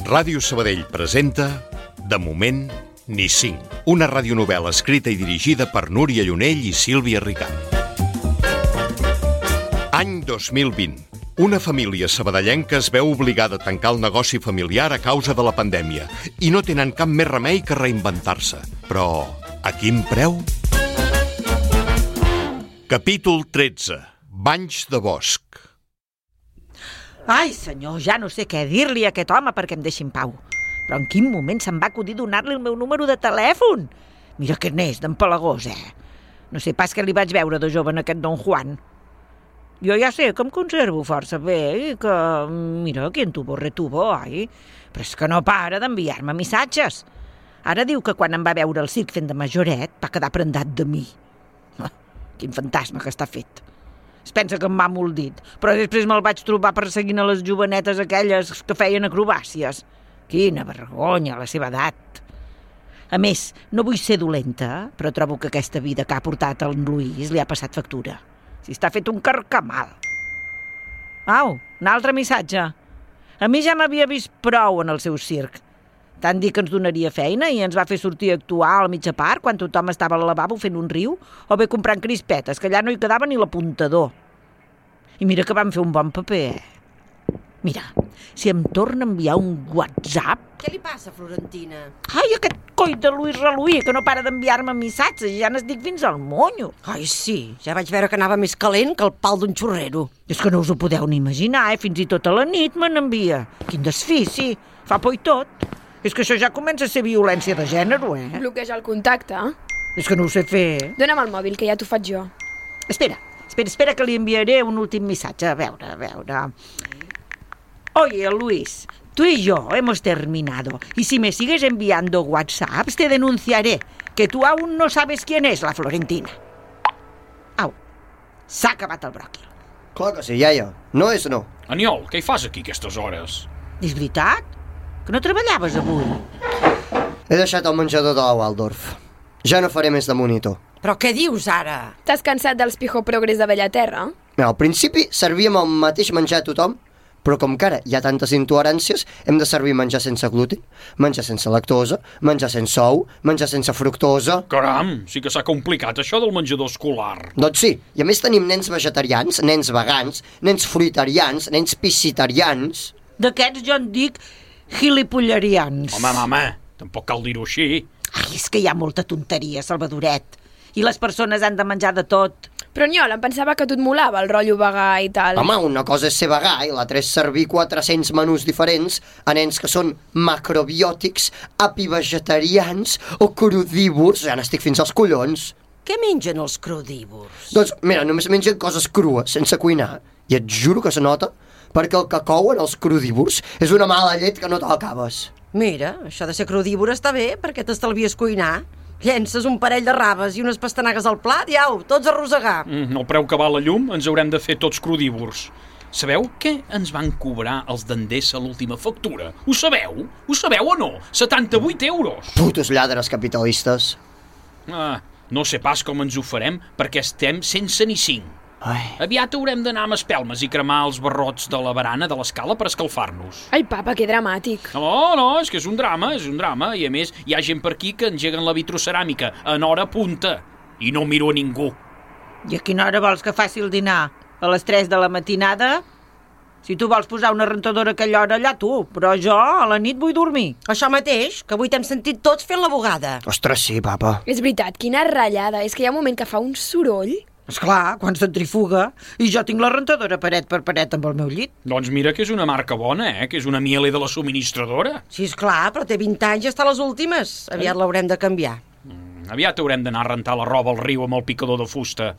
Ràdio Sabadell presenta De moment, ni cinc. Una radionovel·la escrita i dirigida per Núria Llunell i Sílvia Ricart. Any 2020. Una família sabadellenca es veu obligada a tancar el negoci familiar a causa de la pandèmia i no tenen cap més remei que reinventar-se. Però a quin preu? Capítol 13. Banys de bosc. Ai, senyor, ja no sé què dir-li a aquest home perquè em deixi en pau. Però en quin moment se'm va acudir donar-li el meu número de telèfon? Mira que n'és, d'empalagós, No sé pas què li vaig veure de jove en aquest don Juan. Jo ja sé que em conservo força bé i que, mira, quien tuvo retuvo, ai. Però és que no para d'enviar-me missatges. Ara diu que quan em va veure al circ fent de majoret va quedar prendat de mi. Quin fantasma que està fet. Es pensa que em va molt dit, però després me'l vaig trobar perseguint a les jovenetes aquelles que feien acrobàcies. Quina vergonya, a la seva edat. A més, no vull ser dolenta, però trobo que aquesta vida que ha portat el Luis li ha passat factura. Si està fet un carcamal. Au, un altre missatge. A mi ja m'havia vist prou en el seu circ. Tant dir que ens donaria feina i ens va fer sortir a actuar al mitja part quan tothom estava al lavabo fent un riu o bé comprant crispetes, que allà no hi quedava ni l'apuntador. I mira que vam fer un bon paper, Mira, si em torna a enviar un WhatsApp... Què li passa, Florentina? Ai, aquest coi de Luis Reluí, que no para d'enviar-me missatges i ja n'estic fins al monyo. Ai, sí, ja vaig veure que anava més calent que el pal d'un xurrero. És que no us ho podeu ni imaginar, Fins i tot a la nit me n'envia. Quin desfici, fa por i tot. És que això ja comença a ser violència de gènere, Bloqueja el contacte. És que no ho sé fer. Dóna'm el mòbil, que ja t'ho faig jo. Espera, que li enviaré un últim missatge. A veure... Oye, Luis, tú y yo hemos terminado. Y si me sigues enviando WhatsApps, te denunciaré. Que tú aún no sabes quién es la Florentina. Au, s'ha acabat el bròquil. Clar que sí, iaia. No és no. Aniol, què hi fas aquí aquestes hores? És veritat? Que no treballaves avui? He deixat el menjador de la Waldorf. Ja no faré més de monitor. Però què dius, ara? T'has cansat dels Pijo Progres de Bellaterra? Mira, al principi servíem el mateix menjar a tothom, però com que ara hi ha tantes intoleràncies, hem de servir menjar sense gluten, menjar sense lactosa, menjar sense ou, menjar sense fructosa... Caram, sí que s'ha complicat això del menjador escolar. Doncs sí, i a més tenim nens vegetarians, nens vegans, nens fruitarians, nens piscitarians... D'aquests jo en dic gilipollerians. Home, tampoc cal dir-ho així. Ai, és que hi ha molta tonteria, Salvadoret. I les persones han de menjar de tot. Però, Niol, em pensava que tu et molava el rotllo vegà i tal. Home, una cosa és ser vegà i l'altra és servir 400 menús diferents a nens que són macrobiòtics, apivegetarians o crudívors. Ja n'estic fins als collons. Què mengen els crudívors? Doncs, mira, només mengen coses crues, sense cuinar. I et juro que se nota, perquè el que couen els crudívors és una mala llet que no t'acabes. Mira, això de ser crudívor està bé, perquè t'estalvies cuinar. Llences un parell de raves i unes pastanagues al plat i au, tots a rosegar. El preu que val la llum ens haurem de fer tots crudívors. Sabeu què ens van cobrar els d'Endesa a l'última factura? Ho sabeu? Ho sabeu o no? 78 euros! Putos lladres capitalistes. No sé pas com ens ho farem perquè estem sense ni 5. Ai. Aviat haurem d'anar amb espelmes i cremar els barrots de la barana de l'escala per escalfar-nos. Ai, papa, que dramàtic. No, és que és un drama. I a més hi ha gent per aquí que engeguen la vitroceràmica en hora punta i no miro a ningú. I a quina hora vols que faci el dinar? A les 3 de la matinada? Si tu vols posar una rentadora a aquella hora, allà tu, però jo a la nit vull dormir. Això mateix, que avui t'hem sentit tots fent la bugada. Ostres, sí, papa. És veritat, quina ratllada. És que hi ha un moment que fa un soroll. Esclar, quan centrifuga. I jo tinc la rentadora paret per paret amb el meu llit. Doncs mira que és una marca bona, que és una Miele de la subministradora. Sí, esclar, però té 20 anys i està a les últimes. Aviat l'haurem de canviar. Aviat haurem d'anar a rentar la roba al riu amb el picador de fusta.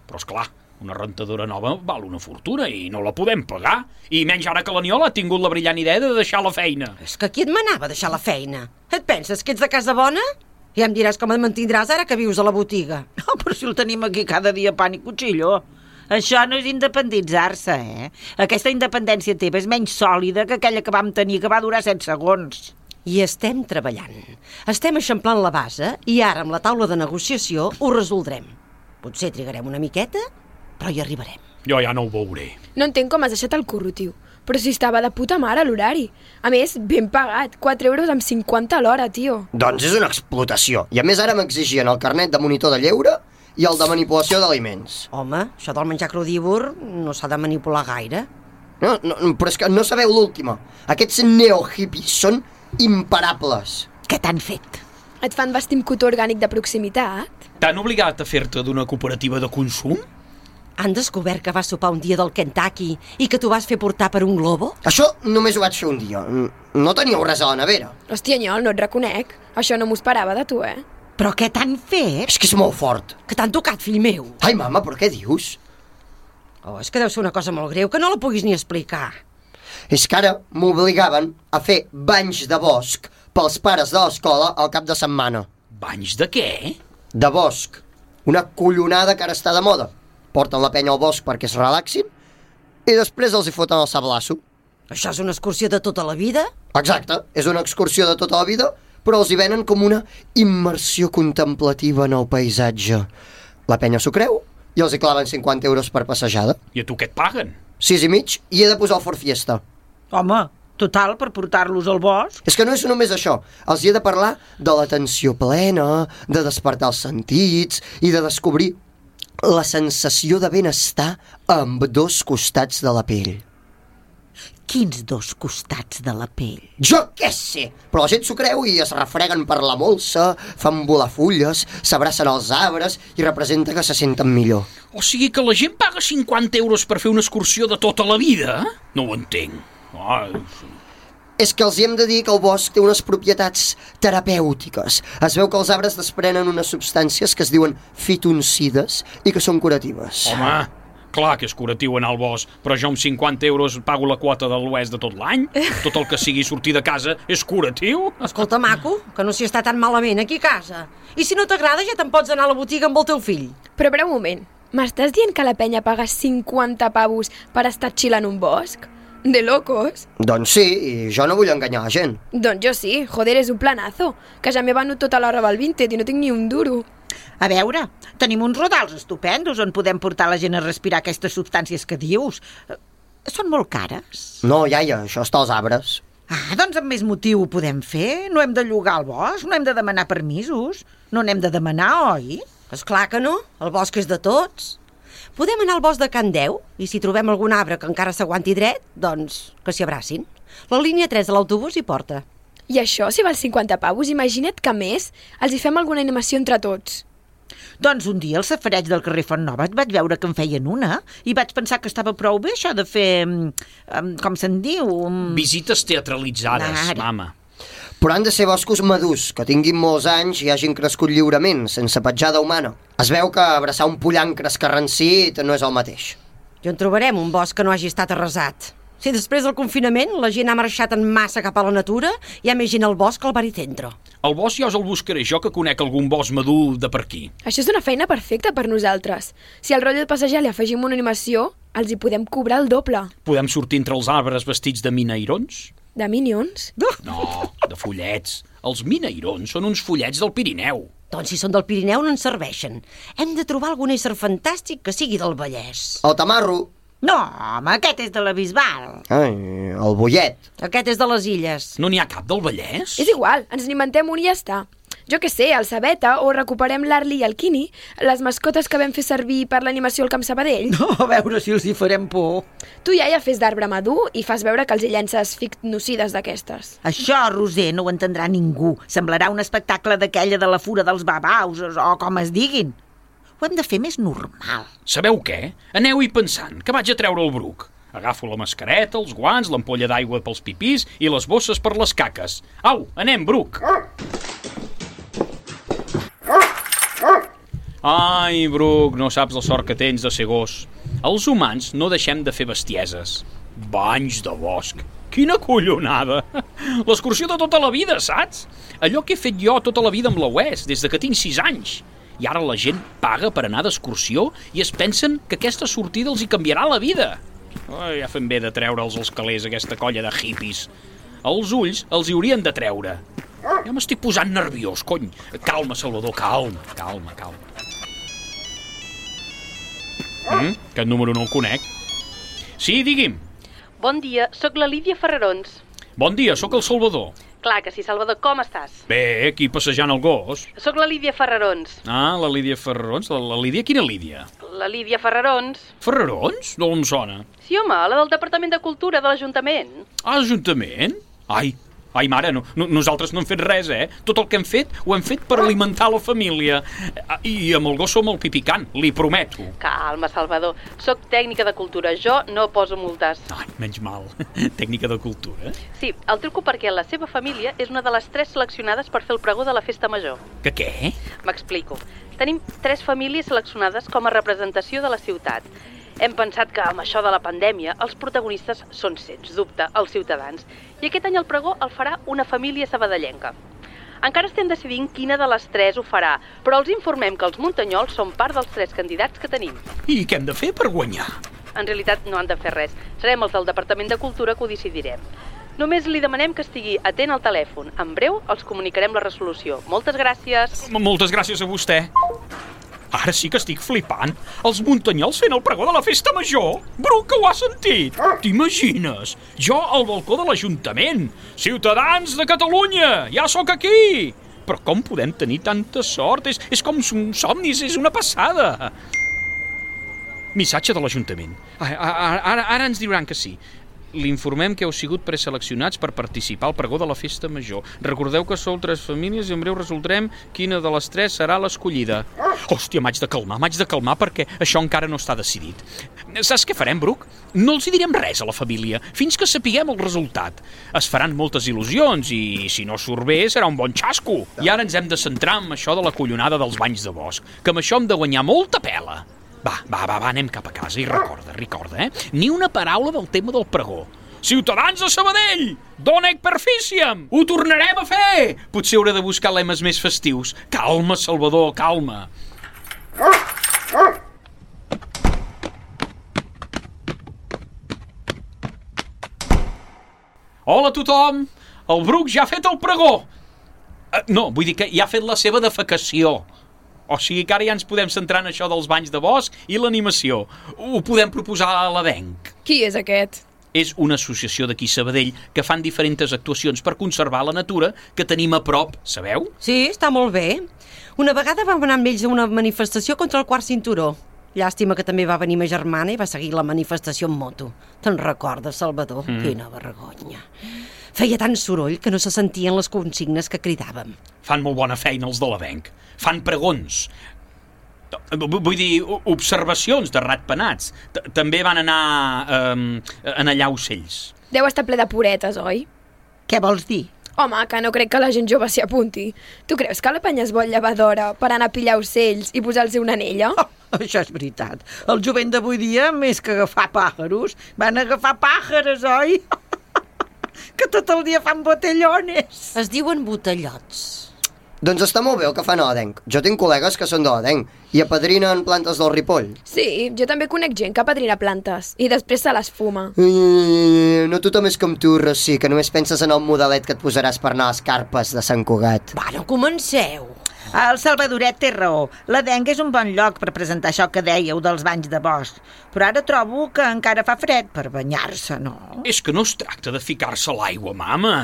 Però esclar, una rentadora nova val una fortuna i no la podem pagar. I menys ara que l'Aniol ha tingut la brillant idea de deixar la feina. És que qui et manava a deixar la feina? Et penses que ets de casa bona? Ja em diràs com et mantindràs ara que vius a la botiga. No, però si el tenim aquí cada dia pan i cuchillo. Això no és independitzar-se, Aquesta independència teva és menys sòlida que aquella que vam tenir, que va durar 7 segons. I estem treballant. Estem eixamplant la base i ara amb la taula de negociació ho resoldrem. Potser trigarem una miqueta, però hi arribarem. Jo ja no ho veuré. No entenc com has deixat el curro, tio. Però si estava de puta mare l'horari. A més, ben pagat, 4 euros amb 50 a l'hora, tio. Doncs és una explotació. I a més ara m'exigien el carnet de monitor de lleure i el de manipulació d'aliments. Home, això del menjar crudívor no s'ha de manipular gaire. No, però és que no sabeu l'última. Aquests neohippies són imparables. Què t'han fet? Et fan vestir amb cotó orgànic de proximitat? T'han obligat a fer-te d'una cooperativa de consum? Han descobert que vas sopar un dia del Kentucky i que t'ho vas fer portar per un globo? Això només ho vaig fer un dia. No teníeu res a la nevera. Hòstia, Nyol, no et reconec. Això no m'ho esperava de tu, Però què t'han fet? És que és molt fort. Que t'han tocat, fill meu? Ai, mama, però què dius? Oh, és que deu ser una cosa molt greu, que no la puguis ni explicar. És que ara m'obligaven a fer banys de bosc pels pares de l'escola al cap de setmana. Banys de què? De bosc. Una collonada que ara està de moda. Porten la penya al bosc perquè es relaxin i després els hi foten el sablasso. Això és una excursió de tota la vida? Exacte, és una excursió de tota la vida, però els hi venen com una immersió contemplativa en el paisatge. La penya s'ho creu i els hi claven 50 euros per passejada. I a tu què et paguen? 6,5 i he de posar el Ford Fiesta. Home, total, per portar-los al bosc. És que no és només això, els hi he de parlar de l'atenció plena, de despertar els sentits i de descobrir la sensació de benestar a ambdós costats de la pell. Quins dos costats de la pell? Jo què sé, però la gent s'ho creu i es refreguen per la molsa, fan volar fulles, s'abracen als arbres i representa que se senten millor. O sigui que la gent paga 50 euros per fer una excursió de tota la vida? No ho entenc. Ai, És que els hi hem de dir que el bosc té unes propietats terapèutiques. Es veu que els arbres desprenen unes substàncies que es diuen fitoncides i que són curatives. home, clar que és curatiu anar al bosc, però jo amb 50 euros pago la quota de l'oest de tot l'any. Tot el que sigui sortir de casa és curatiu. Escolta, maco, que no s'hi està tan malament aquí a casa. I si no t'agrada ja te'n pots anar a la botiga amb el teu fill. Però un moment, m'estàs dient que la penya paga 50 pavos per estar chill en un bosc? De locos? Doncs sí, i jo no vull enganyar la gent. Doncs jo sí, joder, és un planazo, que ja m'he venut tota la roba al Vinted i no tinc ni un duro. A veure, tenim uns rodals estupendos on podem portar la gent a respirar aquestes substàncies que dius. Són molt cares. No, iaia, això està als arbres. Ah, doncs amb més motiu ho podem fer. No hem de llogar el bosc, no hem de demanar permisos. No n'hem de demanar, oi? És clar que no, el bosc és de tots. Podem anar al bosc de Can Deu i si trobem algun arbre que encara s'aguanti dret, doncs que s'hi abracin. La línia 3 de l'autobús hi porta. I això, si val 50 pavos, imagina't que a més els hi fem alguna animació entre tots. Doncs un dia al safareig del carrer Font Nova vaig veure que en feien una i vaig pensar que estava prou bé això de fer, com se'n diu? Visites teatralitzades, Ara. mama. Però han de ser boscos madurs, que tinguin molts anys i hagin crescut lliurement, sense petjada humana. Es veu que abraçar un pollancre escarransit no és el mateix. I on trobarem un bosc que no hagi estat arrasat? Si després del confinament la gent ha marxat en massa cap a la natura, hi ha més gent al bosc que al baricentro. El bosc ja us el buscaré jo, que conec algun bosc madur de per aquí. Això és una feina perfecta per nosaltres. Si al rotllo de passejar li afegim una animació, els hi podem cobrar el doble. Podem sortir entre els arbres vestits de minairons? De Minions? No, de follets. Els minairons són uns follets del Pirineu. Doncs si són del Pirineu no ens serveixen. Hem de trobar algun ésser fantàstic que sigui del Vallès. El tamarro. No, home, aquest és de la Bisbal. Ai, el bollet. Aquest és de les Illes. No n'hi ha cap del Vallès? És igual, ens n'inventem un i ja està. Jo què sé, el Sabeta, o recuperem l'Arli i el Quini, les mascotes que vam fer servir per l'animació al Camp Sabadell. No, a veure si els hi farem por. Tu ja fes d'arbre madur i fas veure que els hi llences ficnocides d'aquestes. Això, Roser, no ho entendrà ningú. Semblarà un espectacle d'aquella de la fura dels babaus, o com es diguin. Ho hem de fer més normal. Sabeu què? Aneu-hi pensant, que vaig a treure el bruc. Agafo la mascareta, els guants, l'ampolla d'aigua pels pipís i les bosses per les caques. Au, anem, bruc! Ai, Bruc, no saps la sort que tens de ser gos. Els humans no deixem de fer bestieses. Banys de bosc. Quina collonada! L'excursió de tota la vida, saps? Allò que he fet jo tota la vida amb la UES, des de que tinc 6 anys. I ara la gent paga per anar d'excursió i es pensen que aquesta sortida els hi canviarà la vida. Ai, ja fem bé de treure'ls els calés, aquesta colla de hippies. Els ulls els hi haurien de treure. Ja m'estic posant nerviós, cony. Calma, Salvador, calma. Aquest número no el conec. Sí, digui'm. Bon dia, sóc la Lídia Ferrarons. Bon dia, sóc el Salvador. Clar que sí, Salvador, com estàs? Bé, aquí passejant el gos. Sóc la Lídia Ferrarons. Ah, la Lídia Ferrarons. La Lídia, quina Lídia? La Lídia Ferrarons. Ferrarons? No em sona. Sí, home, la del Departament de Cultura de l'Ajuntament. Ah, Ajuntament? Ai, mare, nosaltres no hem fet res, Tot el que hem fet, ho hem fet per alimentar la família. I amb el gos som el pipicant, li prometo. Calma, Salvador. Sóc tècnica de cultura. Jo no poso multes. Ai, menys mal. Tècnica de cultura. Sí, el truco perquè la seva família és una de les 3 seleccionades per fer el pregó de la festa major. Que què? M'explico. Tenim 3 famílies seleccionades com a representació de la ciutat. Hem pensat que amb això de la pandèmia els protagonistes són, sens dubte, els ciutadans. I aquest any el pregó el farà una família sabadellenca. Encara estem decidint quina de les 3 ho farà, però els informem que els muntanyols són part dels 3 candidats que tenim. I què hem de fer per guanyar? En realitat no han de fer res. Serem els del Departament de Cultura que ho decidirem. Només li demanem que estigui atent al telèfon. En breu els comunicarem la resolució. Moltes gràcies. Moltes gràcies a vostè. Ara sí que estic flipant. Els muntanyols fent el pregó de la festa major. Bru, que ho has sentit? T'imagines? Jo al balcó de l'Ajuntament. Ciutadans de Catalunya, ja sóc aquí. Però com podem tenir tanta sort? És com un somni, és una passada. Missatge de l'Ajuntament. Ara ens diran que sí. L'informem que heu sigut preseleccionats per participar al pregó de la festa major. Recordeu que sou 3 famílies i en breu resoldrem quina de les 3 serà l'escollida. Hòstia, m'haig de calmar perquè això encara no està decidit. Saps què farem, Bruc? No els hi direm res a la família, fins que sapiguem el resultat. Es faran moltes il·lusions i, si no surt bé, serà un bon xasco. I ara ens hem de centrar en això de la collonada dels banys de bosc, que amb això hem de guanyar molta pela. Va, anem cap a casa i recorda, Ni una paraula del tema del pregó. Ciutadans de Sabadell, donec perficiam, ho tornarem a fer! Potser hauré de buscar lemes més festius. Calma, Salvador, calma. Hola a tothom, el Bruc ja ha fet el pregó. No, vull dir que ja ha fet la seva defecació. O sigui que ara ja ens podem centrar en això dels banys de bosc i l'animació. Ho podem proposar a l'Avenc. Qui és aquest? És una associació d'aquí Sabadell que fan diferents actuacions per conservar la natura que tenim a prop, sabeu? Sí, està molt bé. Una vegada vam anar amb ells a una manifestació contra el quart cinturó. Llàstima que també va venir ma germana i va seguir la manifestació en moto. Te'n recordes, Salvador? Quina vergonya. Feia tant soroll que no se sentien les consignes que cridàvem. Fan molt bona feina els de l'Avenc. Fan pregons. Vull dir, observacions de ratpenats. També van anar a allà ocells. Deu estar ple de puretes, oi? Què vols dir? Home, que no crec que la gent jove s'hi apunti. Tu creus que la penya es vol llevar d'hora per anar a pillar ocells i posar-los una anella? Això és veritat. El jovent d'avui dia, més que agafar pàjaros, van agafar pàjares, oi? Que tot el dia fan botellones. Es diuen botellots. Doncs està molt bé el que fan a l'Adenc. Jo tinc col·legues que són de l'Adenc i apadrinen plantes del Ripoll. Sí, jo també conec gent que apadrina plantes i després se les fuma. No tothom és com tu, Rossi, que només penses en el modelet que et posaràs per anar a les carpes de Sant Cugat. Va, no comenceu. El Salvadoret té raó. L'Adenc és un bon lloc per presentar això que dèieu dels banys de bosc. Però ara trobo que encara fa fred per banyar-se, no? És que no es tracta de ficar-se a l'aigua, mama.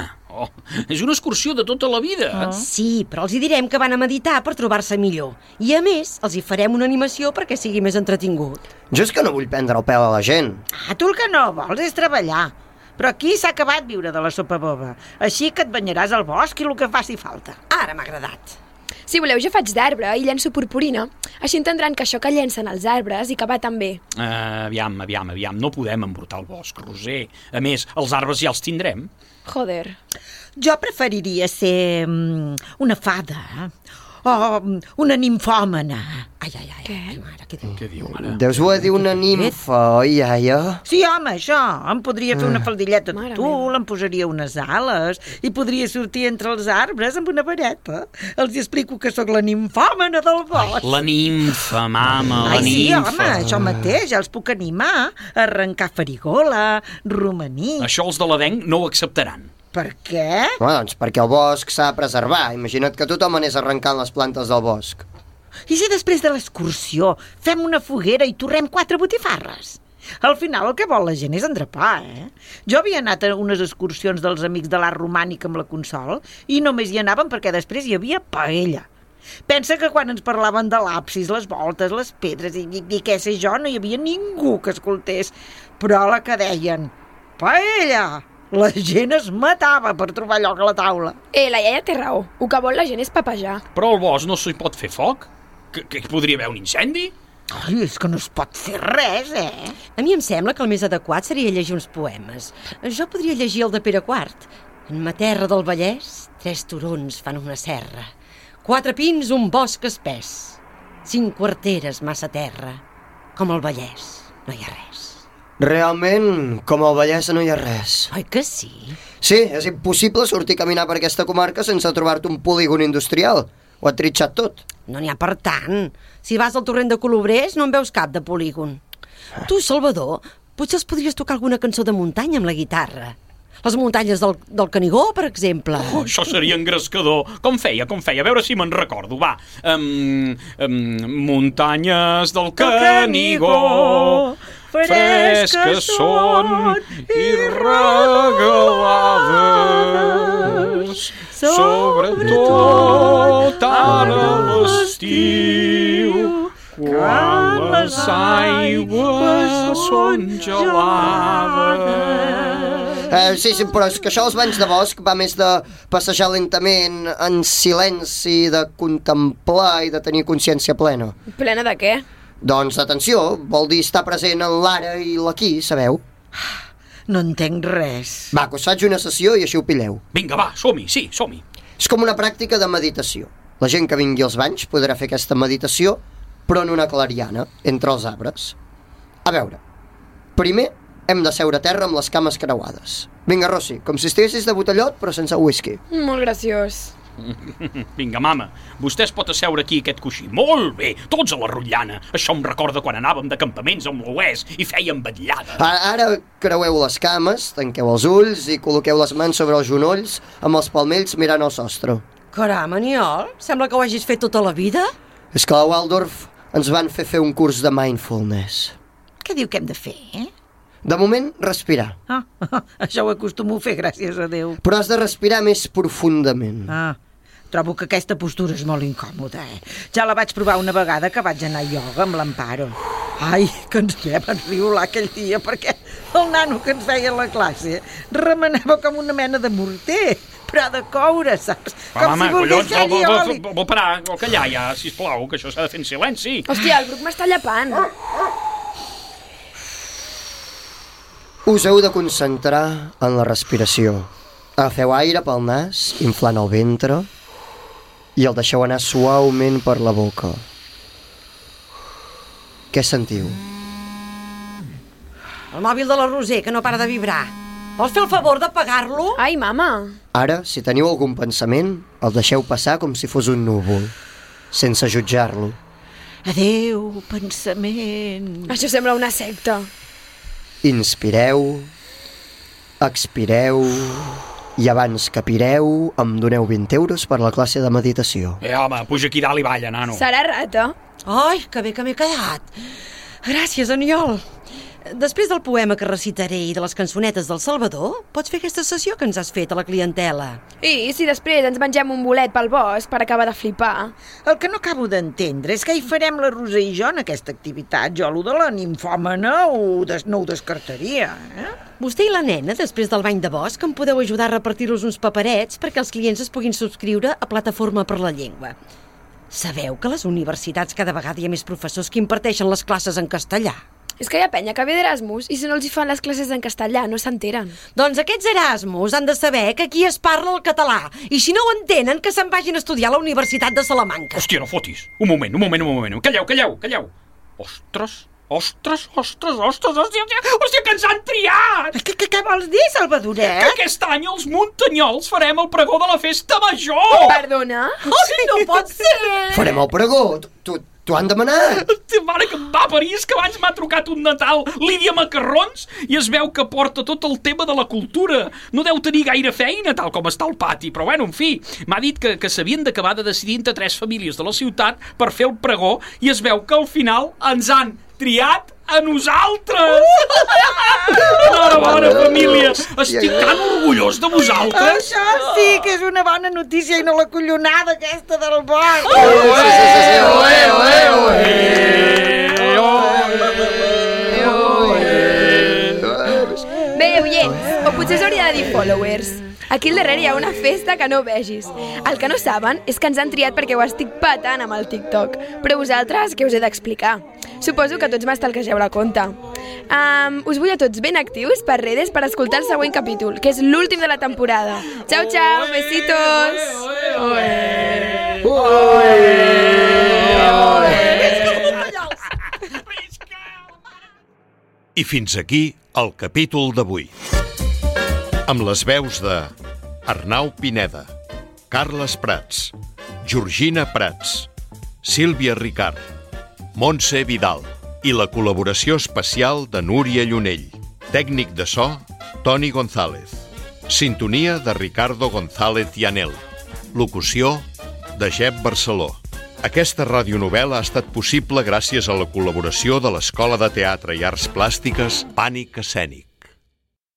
És una excursió de tota la vida. Sí, però els hi direm que van a meditar per trobar-se millor. I a més, els hi farem una animació perquè sigui més entretingut. Jo és que no vull prendre el pèl a la gent. Tu el que no vols és treballar. Però aquí s'ha acabat viure de la sopa boba. Així que et banyaràs al bosc i el que faci falta. Ara m'ha agradat. Si voleu, jo faig d'arbre i llenço purpurina. Així entendran que això que llencen els arbres i que va tan bé. Aviam. No podem embrutar el bosc, Roser. A més, els arbres ja els tindrem. Joder. Jo preferiria ser una fada o una nimfòmana. Què diu, mare? Deus voler dir una nimfa, oi, iaia? Sí, home, això. Em podria fer una faldilleta de Mare tul, meva. em posaria unes ales i podria sortir entre els arbres amb una vareta. Els explico que sóc la nimfòmana del bosc. La nimfa, mama, la Sí, nimfa. home, això mateix, ja els puc animar a arrencar farigola, romaní. Això els de l'Adenc no ho acceptaran. Per què? Doncs perquè el bosc s'ha de preservar. Imagina't que tothom anés arrencant les plantes del bosc. I si després de l'excursió fem una foguera i torrem 4 botifarres? Al final el que vol la gent és endrapar, Jo havia anat a unes excursions dels amics de l'art romànic amb la Consol i només hi anàvem perquè després hi havia paella. Pensa que quan ens parlaven de l'absis, les voltes, les pedres i què sé jo, no hi havia ningú que escoltés. Però a la que deien paella, la gent es matava per trobar lloc a la taula. La iaia té raó. El que vol la gent és papejar. Però al bosc no s'hi pot fer foc? Que hi podria haver un incendi? Ai, és que no es pot fer res, A mi em sembla que el més adequat seria llegir uns poemes. Jo podria llegir el de Pere IV. En ma terra del Vallès, 3 turons fan una serra. 4 pins, un bosc espès. 5 quarteres, massa terra. Com al Vallès, no hi ha res. Realment, com al Vallès no hi ha res. Oi que sí? Sí, és impossible sortir a caminar per aquesta comarca sense trobar-te un polígon industrial. Ho ha tritxat tot. No n'hi ha per tant. Si vas al torrent de Colobrers no en veus cap de polígon. Tu, Salvador, potser els podries tocar alguna cançó de muntanya amb la guitarra. Les muntanyes del Canigó, per exemple. Això seria engrescador. Com feia? A veure si me'n recordo, va. Muntanyes del Canigó, fresques són i regalades, sobretot ara a l'estiu, quan les aigües són gelades. Sí, però és que això als banys de bosc va més de passejar lentament, en silenci, de contemplar i de tenir consciència plena. Plena de què? Doncs, atenció, vol dir estar present en l'ara i l'aquí, sabeu? No entenc res. Va, que us faig una sessió i així ho pilleu. Vinga, va, som-hi, sí, som-hi. És com una pràctica de meditació. La gent que vingui als banys podrà fer aquesta meditació, però en una clariana, entre els arbres. A veure, primer hem de seure a terra amb les cames creuades. Vinga, Rossi, com si estiguessis de botellot, però sense whisky. Molt graciós. Vinga, mama, vostè es pot asseure aquí aquest coixí. Molt bé, tots a la rotllana. Això em recorda quan anàvem de campaments amb l'oest i fèiem vetllada. Ara creueu les cames, tanqueu els ulls i col·loqueu les mans sobre els genolls amb els palmells mirant al sostre. Caram, Aniol, sembla que ho hagis fet tota la vida. És que a Waldorf ens van fer un curs de mindfulness. Què diu que hem de fer, De moment, respirar. Això ho acostumo a fer, gràcies a Déu. Però has de respirar més profundament. Trobo que aquesta postura és molt incòmoda, Ja la vaig provar una vegada que vaig anar a ioga amb l'Amparo. Ai, que ens vam enriolar aquell dia, perquè el nano que ens feia la classe remenava com una mena de morter, però de coure, saps? Com mama, si volgués fer-hi oli. Vol parar, vol callar ja, sisplau, que això s'ha de fer en silenci. Hòstia, el Bruc m'està llepant. Us heu de concentrar en la respiració. Agafeu aire pel nas, inflant el ventre, i el deixeu anar suaument per la boca. Què sentiu? El mòbil de la Roser, que no para de vibrar. Vols fer el favor d'apagar-lo? Ai, mama. Ara, si teniu algun pensament, el deixeu passar com si fos un núvol, sense jutjar-lo. Adéu, pensament. Això sembla una secta. Inspireu, expireu, i abans que pireu em doneu 20 euros per la classe de meditació. Home, puja aquí dalt i balla, nano. Serà rata? Ai, que bé que m'he quedat. Gràcies, Aniol. Després del poema que recitaré i de les cançonetes del Salvador, pots fer aquesta sessió que ens has fet a la clientela. I si després ens mengem un bolet pel bosc per acabar de flipar? El que no acabo d'entendre és què hi farem la Roser i jo en aquesta activitat. Jo, allò de la nimfòmana, no ho descartaria, Vostè i la nena, després del bany de bosc, em podeu ajudar a repartir-los uns paperets perquè els clients es puguin subscriure a Plataforma per la Llengua. Sabeu que a les universitats cada vegada hi ha més professors que imparteixen les classes en castellà? És que hi ha penya que ve d'Erasmus i si no els hi fan les classes en castellà no s'enteren. Doncs aquests Erasmus han de saber que aquí es parla el català i si no ho entenen que se'n vagin a estudiar a la Universitat de Salamanca. Hòstia, no fotis. Un moment. Calleu. Ostres, hòstia, que ens han triat! Què vols dir, Salvadoret? Que aquest any els muntanyols farem el pregó de la festa major! Perdona? Ai, no pot ser! Farem el pregó! T'ho han demanat! Hòstia, mare que em va parir, és que abans m'ha trucat un Natal Lídia Macarrons i es veu que porta tot el tema de la cultura. No deu tenir gaire feina, tal com està el pati, però bueno, en fi, m'ha dit que s'havien d'acabar de decidir entre 3 famílies de la ciutat per fer el pregó i es veu que al final ens han triat a nosaltres! Enhorabona, família! Estic tan orgullós de vosaltres! Això sí que és una bona notícia i no la collonada aquesta del bosc. Bé, oients, o potser s'hauria de dir followers. Aquí al darrere hi ha una festa que no vegis. El que no saben és que ens han triat perquè ho estic patant amb el TikTok. Però vosaltres, què us he d'explicar? Suposo que tots m'estalquegeu la compte. Us vull a tots ben actius per redes per escoltar el següent capítol, que és l'últim de la temporada. Ciao, ciao, besitos! I fins aquí el capítol d'avui. Amb les veus de Arnau Pineda, Carles Prats, Georgina Prats, Sílvia Ricard, Montse Vidal i la col·laboració especial de Núria Llunell. Tècnic de so, Toni González. Sintonia de Ricardo González Llanel. Locució de Jep Barceló. Aquesta radionovel·la ha estat possible gràcies a la col·laboració de l'Escola de Teatre i Arts Plàstiques Pànic Escènic.